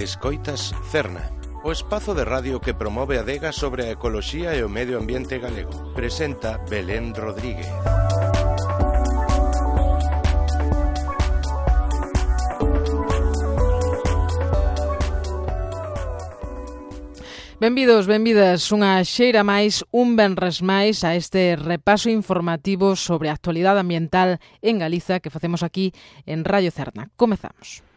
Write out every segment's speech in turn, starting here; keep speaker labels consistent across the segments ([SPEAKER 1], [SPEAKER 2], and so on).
[SPEAKER 1] Escoitas Cerna, o espazo de radio que promove a adega sobre a ecoloxía e o medio ambiente galego. Presenta Belén Rodríguez.
[SPEAKER 2] Benvidos, benvidas, unha xeira máis, un venres máis a este repaso informativo sobre a actualidade ambiental en Galiza que facemos aquí en Radio Cerna. Comezamos.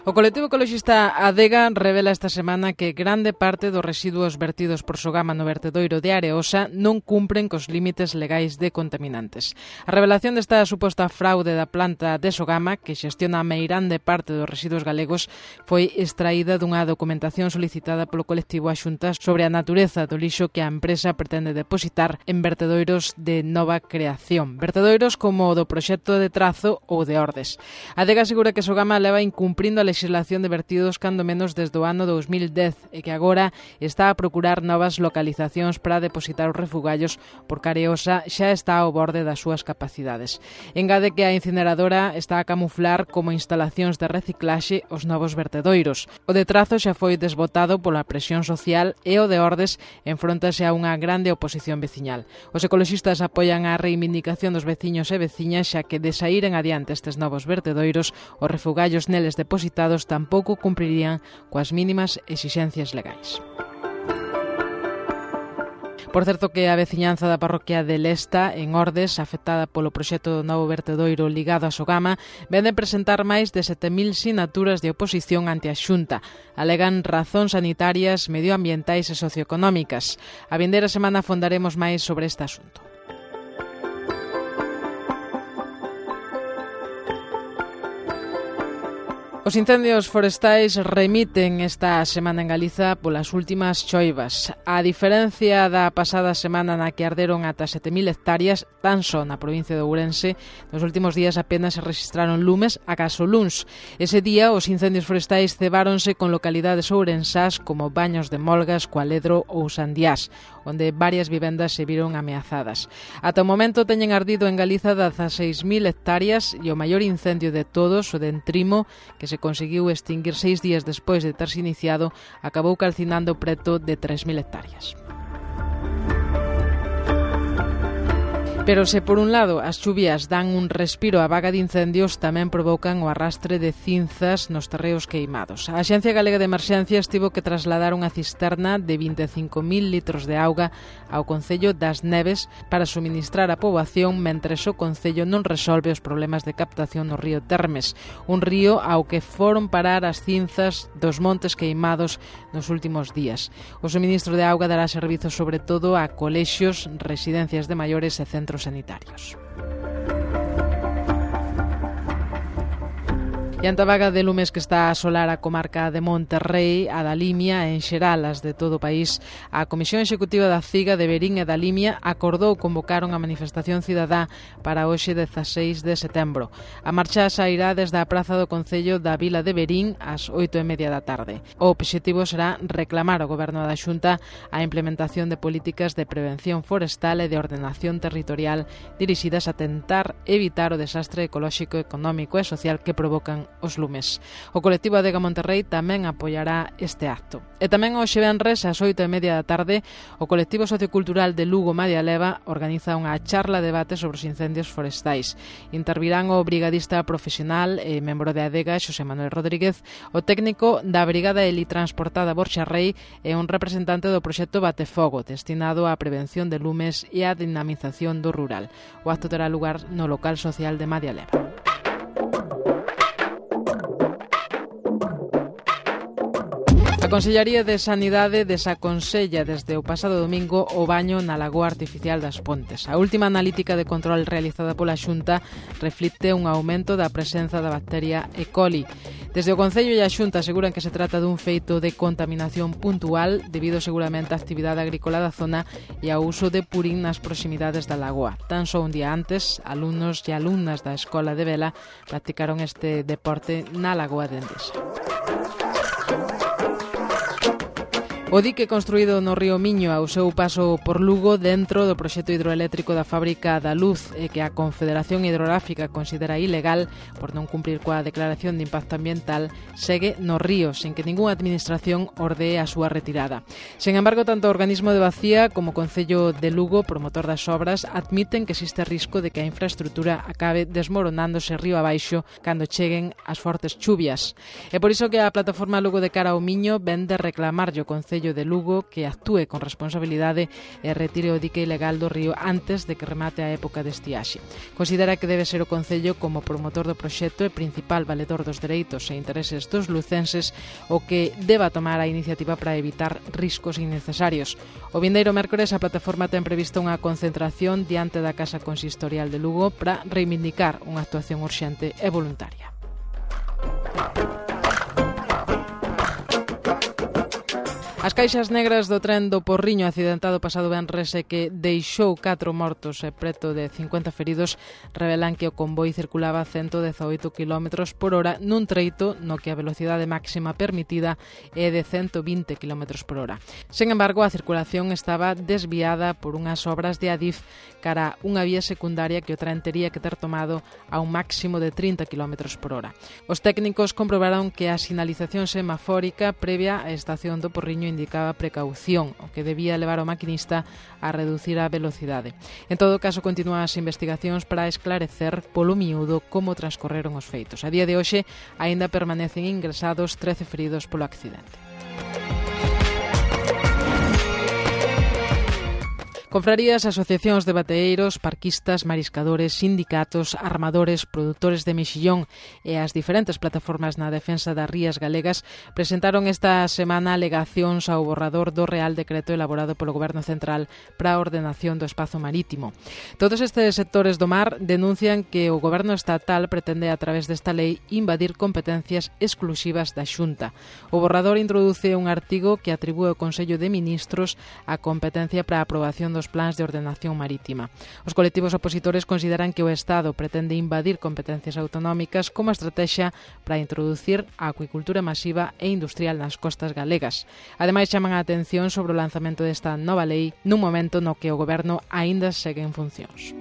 [SPEAKER 2] O colectivo ecoloxista Adega revela esta semana que grande parte dos residuos vertidos por Sogama no vertedoiro de Areosa non cumpren cos límites legais de contaminantes. A revelación desta suposta fraude da planta de Sogama, que xestiona a meirande parte dos residuos galegos, foi extraída dunha documentación solicitada polo colectivo a Xunta sobre a natureza do lixo que a empresa pretende depositar en vertedoiros de nova creación. Vertedoiros como o do proxecto de Trazo ou de Ordes. Adega asegura que Sogama leva incumprindo a legislación de vertidos cando menos desde o ano 2010 e que agora está a procurar novas localizacións para depositar os refugallos porque Areosa xa está ao borde das súas capacidades. Engade que a incineradora está a camuflar como instalacións de reciclaxe os novos vertedoiros. O de Trazo xa foi desbotado pola presión social e o de Ordes enfróntase a unha grande oposición veciñal. Os ecoloxistas apoian a reivindicación dos veciños e veciñas xa que de saíren adiante estes novos vertedoiros, os refugallos neles depositados tampouco cumprirían coas mínimas exixencias legais. Por certo que a veciñanza da parroquia de Lesta, en Ordes, afectada polo proxecto do novo vertedoiro ligado a Sogama, ven de presentar máis de 7.000 sinaturas de oposición ante a Xunta. Alegan razóns sanitarias, medioambientais e socioeconómicas. A vindeira semana fondaremos máis sobre este asunto. Os incendios forestais remiten esta semana en Galiza polas últimas choivas. A diferencia da pasada semana na que arderon ata 7.000 hectáreas, tan só na provincia de Ourense, nos últimos días apenas se registraron lumes acaso luns. Ese día os incendios forestais cebáronse con localidades ourensás como Baños de Molgas, Cualedro ou Sandiás, onde varias vivendas se viron ameazadas. Ata o momento teñen ardido en Galiza 16.000 hectáreas e o maior incendio de todos, o de Entrimo, que se conseguiu extinguir 6 días despois de terse iniciado, acabou calcinando preto de 3.000 hectáreas. Pero se por un lado as chuvias dan un respiro á vaga de incendios, tamén provocan o arrastre de cinzas nos terreos queimados. A Axencia Galega de Emerxencias tivo que trasladar unha cisterna de 25.000 litros de auga ao Concello das Neves para suministrar a poboación mentres o Concello non resolve os problemas de captación no río Termes, un río ao que foron parar as cinzas dos montes queimados nos últimos días. O suministro de auga dará servizo sobre todo a colexios, residencias de maiores e centros sanitarios. E ante a vaga de lumes que está a asolar a comarca de Monterrei, a da Limia e en xeral as de todo o país, a Comisión Executiva da CIGA de Verín e da Limia acordou convocar unha manifestación cidadá para hoxe 16 de setembro. A marcha sairá desde a praza do Concello da Vila de Verín ás 8:30 da tarde. O obxectivo será reclamar ao Goberno da Xunta a implementación de políticas de prevención forestal e de ordenación territorial dirixidas a tentar evitar o desastre ecolóxico, económico e social que provocan os lumes. O colectivo Adega Monterrei tamén apoiará este acto. E tamén hoxe venres ás 8:30 da tarde o colectivo sociocultural de Lugo Madia Leva organiza unha charla debate sobre os incendios forestais. Intervirán o brigadista profesional e membro de Adega Xosé Manuel Rodríguez, o técnico da Brigada Helitransportada Borxa Rei e un representante do proxecto Batefogo, destinado á prevención de lumes e á dinamización do rural. O acto terá lugar no local social de Madia Leva. A Consellaría de Sanidade desaconsella desde o pasado domingo o baño na lagoa artificial das Pontes. A última analítica de control realizada pola Xunta reflicte un aumento da presenza da bacteria E. coli. Desde o Concello e a Xunta aseguran que se trata dun feito de contaminación puntual debido seguramente á actividade agrícola da zona e ao uso de purín nas proximidades da lagoa. Tan só un día antes, alumnos e alumnas da Escola de Vela practicaron este deporte na lagoa de Endesa. O dique construído no río Miño ao seu paso por Lugo dentro do proxecto hidroeléctrico da Fábrica da Luz e que a Confederación Hidrográfica considera ilegal por non cumprir coa declaración de impacto ambiental segue no río sen que ningunha administración ordee a súa retirada. Sen embargo, tanto o organismo de Bacía como o Concello de Lugo, promotor das obras, admiten que existe risco de que a infraestrutura acabe desmoronándose río abaixo cando cheguen as fortes chuvias. É por iso que a plataforma Lugo de Cara ao Miño ven de reclamarlle o Concello de Lugo que actúe con responsabilidade e retire o dique ilegal do río antes de que remate a época de estiaxe. Considera que debe ser o Concello como promotor do proxecto e principal valedor dos dereitos e intereses dos lucenses o que deba tomar a iniciativa para evitar riscos innecesarios. O vindeiro mércores a plataforma ten prevista unha concentración diante da Casa Consistorial de Lugo para reivindicar unha actuación urxente e voluntaria. As caixas negras do tren do Porriño accidentado pasado venres e que deixou 4 mortos e preto de 50 feridos revelan que o convoi circulaba a 118 km por hora nun treito no que a velocidade máxima permitida é de 120 km por hora. Sen embargo, a circulación estaba desviada por unhas obras de Adif cara unha vía secundaria que o tren tería que ter tomado a un máximo de 30 km por hora. Os técnicos comprobaron que a sinalización semafórica previa á estación do Porriño indicaba precaución, o que debía levar o maquinista a reducir a velocidade. En todo caso, continúan as investigacións para esclarecer polo miúdo como transcorreron os feitos. A día de hoxe, aínda permanecen ingresados 13 feridos polo accidente. Confrarías, asociacións de bateeiros, parquistas, mariscadores, sindicatos, armadores, produtores de mexillón e as diferentes plataformas na defensa das rías galegas presentaron esta semana alegacións ao borrador do Real Decreto elaborado polo Goberno Central para a ordenación do espazo marítimo. Todos estes sectores do mar denuncian que o Goberno estatal pretende a través desta lei invadir competencias exclusivas da Xunta. O borrador introduce un artigo que atribúe ao Consello de Ministros a competencia para a aprobación dos plans de ordenación marítima. Os colectivos opositores consideran que o Estado pretende invadir competencias autonómicas como estrategia para introducir a acuicultura masiva e industrial nas costas galegas. Ademais, chaman a atención sobre o lanzamento desta nova lei nun momento no que o Goberno aínda segue en funcións.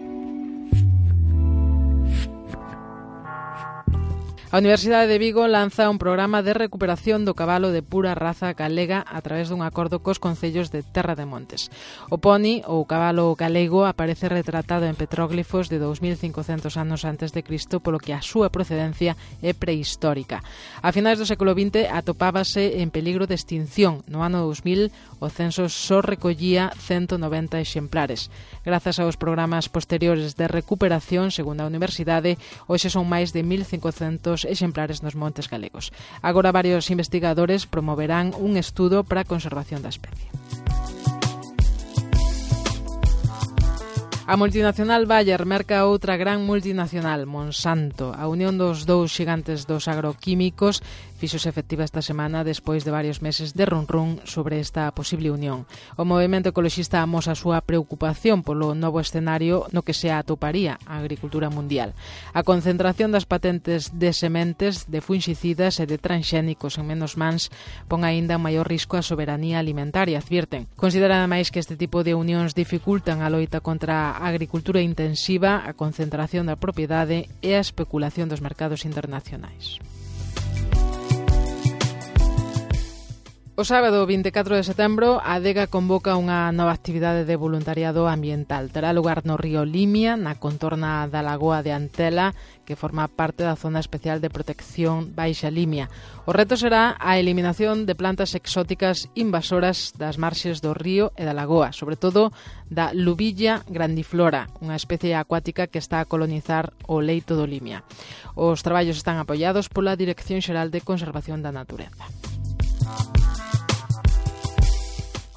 [SPEAKER 2] A Universidade de Vigo lanza un programa de recuperación do cabalo de pura raza galega a través dun acordo cos concellos de Terra de Montes. O poni, ou cabalo galego, aparece retratado en petróglifos de 2500 anos antes de Cristo, polo que a súa procedencia é prehistórica. A finais do século XX atopábase en peligro de extinción. No ano 2000 o censo só recollía 190 exemplares. Grazas aos programas posteriores de recuperación, segundo a Universidade, hoxe son máis de 1500 exemplares nos montes galegos. Agora varios investigadores promoverán un estudo para a conservación da especie. A multinacional Bayer merca outra gran multinacional, Monsanto. A unión dos dous xigantes dos agroquímicos fíxose efectiva esta semana despois de varios meses de run sobre esta posible unión. O movemento ecoloxista amosa a súa preocupación polo novo escenario no que se atoparía a agricultura mundial. A concentración das patentes de sementes, de fungicidas e de transxénicos en menos mans pon aínda un maior risco á soberanía alimentaria, advirten. Consideran ademais que este tipo de unións dificultan a loita contra a agricultura intensiva, a concentración da propiedade e a especulación dos mercados internacionais. O sábado 24 de setembro, a Adega convoca unha nova actividade de voluntariado ambiental. Terá lugar no río Limia, na contorna da Lagoa de Antela, que forma parte da Zona Especial de Protección Baixa Limia. O reto será a eliminación de plantas exóticas invasoras das marxes do río e da lagoa, sobre todo da Lubilla grandiflora, unha especie acuática que está a colonizar o leito do Limia. Os traballos están apoiados pola Dirección Xeral de Conservación da Natureza.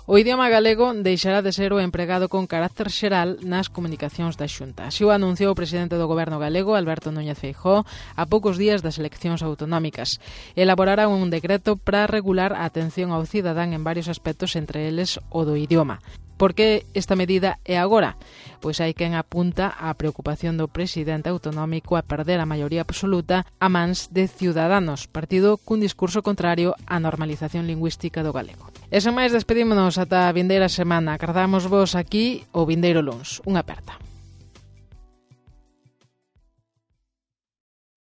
[SPEAKER 2] O idioma galego deixará de ser o empregado con carácter xeral nas comunicacións da Xunta. Así o anunciou o presidente do Goberno galego, Alberto Núñez Feijóo, a poucos días das eleccións autonómicas. Elaborará un decreto para regular a atención ao cidadán en varios aspectos, entre eles o do idioma. Por que esta medida é agora? Pois hai quen apunta á preocupación do presidente autonómico a perder a maioría absoluta a mans de Ciudadanos, partido cun discurso contrario á normalización lingüística do galego. E sen máis despedímonos ata a vindeira semana. Acardamos vos aquí o vindeiro luns. Unha aperta.